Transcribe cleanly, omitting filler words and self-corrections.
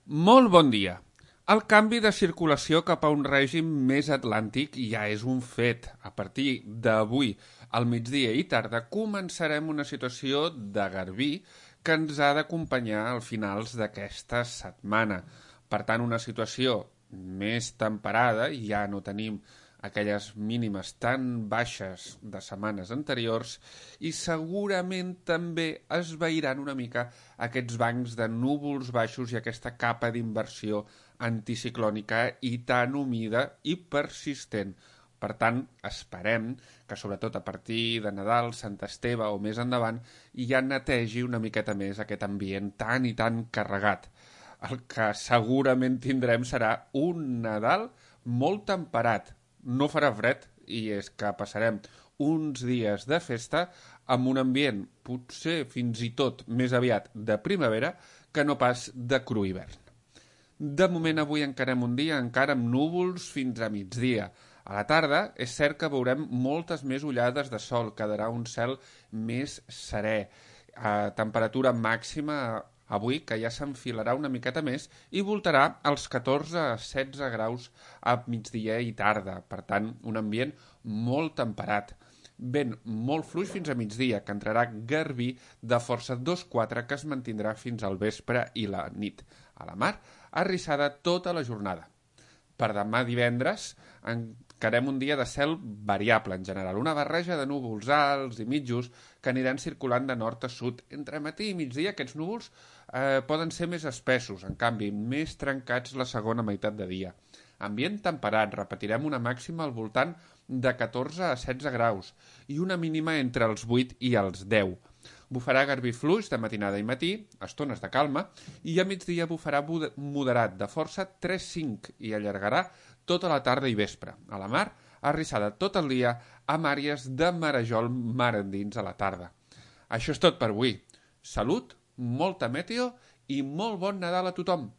Molt bon dia. El canvi de circulació cap a un règim més atlàntic ja és un fet. A partir d'avui, al migdia i tarda, començarem una situació de garbí que ens ha d'acompanyar al finals d'aquesta setmana. Per tant, una situació més temperada, ja no tenim aquelles mínimes tan baixes de setmanes anteriors i segurament també es veiran una mica aquests bancs de núvols baixos i aquesta capa d'inversió anticiclònica i tan humida i persistent. Per tant, esperem que sobretot a partir de Nadal, Sant Esteve o més endavant ja netegi una miqueta més aquest ambient tan i tan carregat. El que segurament tindrem serà un Nadal molt temperat. No farà fred i és que passarem uns dies de festa amb un ambient potser fins i tot més aviat de primavera que no pas de cru hivern. De moment avui encarem un dia encara amb núvols fins a migdia. A la tarda és cert que veurem moltes més ullades de sol, quedarà un cel més serè. A temperatura màxima avui, que ja s'enfilarà una miqueta més i voltarà als 14 a 16 graus a migdia i tarda. Per tant, un ambient molt temperat. Vent molt fluix fins a migdia, que entrarà garbí de força 2-4 que es mantindrà fins al vespre i la nit. A la mar, arrissada tota la jornada. Per demà divendres encarem un dia de cel variable en general, una barreja de núvols alts i mitjos que aniran circulant de nord a sud. Entre matí i migdia aquests núvols poden ser més espessos, en canvi més trencats la segona meitat de dia. Ambient temperat, repetirem una màxima al voltant de 14 a 16 graus i una mínima entre els 8 i els 10. Bufarà garbí fluix de matinada i matí, estones de calma, i a migdia bufarà moderat de força 3-5 i allargarà tota la tarda i vespre. A la mar, arrissada tot el dia amb àrees de marejol mar endins a la tarda. Això és tot per avui. Salut, molta meteo i molt bon Nadal a tothom!